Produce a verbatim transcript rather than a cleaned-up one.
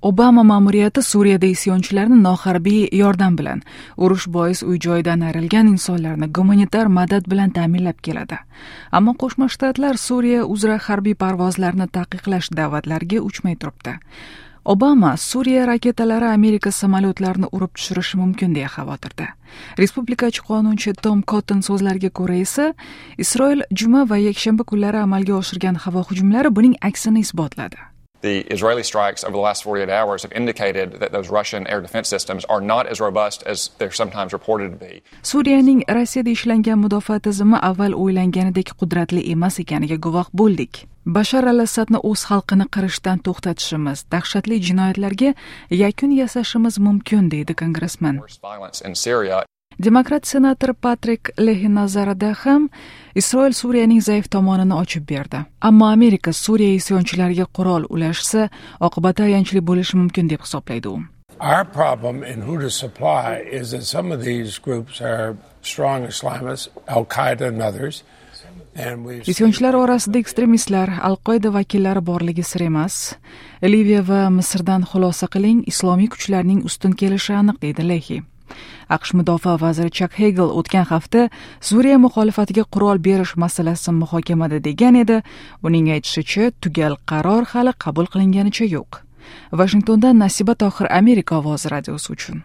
Obama ma'muriyati Suriyada isyonchilarni noharbiy yordam bilan, urush bois uy-joyidan ayrilgan insonlarni gumanitar madad bilan ta'minlab keladi. Ammo Qo'shma Shtatlar Suriya uzra harbiy parvozlarni taqiqlash da'vatlariga uchmay turibdi. Obama Suriya raketalari Amerika samolyotlarini urib tushirishi mumkin deya xavotirda. Respublikachi qonunchi Tom Cotton so'zlariga ko'ra esa, Isroil juma va yakshanba kunlari amalga oshirgan havo hujumlari buning aksini isbotladi. The Israeli strikes over the last forty-eight hours have indicated that those Russian air defense systems are not as robust as they're sometimes reported to be. Suriyaning Rossiyada ishlangan mudofaa tizimi avval o'ylanganidek qudratli emas ekaniga guvoh bo'ldik. Bashar al-Assadni o'z xalqini qirishdan to'xtatishimiz, dahshatli jinoyatlarga yakun yasashimiz mumkin, deydi kongressmen. Demokrat senator Patrik Lehi nazarida ham Isroil Suriyaning zaif tomonini ochib berdi. Ammo Amerika Suriya isyonchilariga qurol ulashsa, oqibati ayanchli bo'lishi mumkin deb hisoblaydi u. Our problem in who to supply is that some of these groups are strong Islamists, Al-Qaeda and others. Isyonchilar orasida ekstremistlar, Al-Qoida vakillari borligi sir emas. Liviya va Misrdan xulosa qiling, islomiy kuchlarning ustun kelishi aniq, deydi Lehi. AQSh mudofaa vaziri Chak Hegel o'tgan hafta Suriya muxolifatiga qurol berish masalasi muhokamada degan edi. Uning aytishicha, tugal qaror hali qabul qilinganicha yo'q. Vashingtondan Nasiba Tohir, Amerika ovozi radiosi uchun.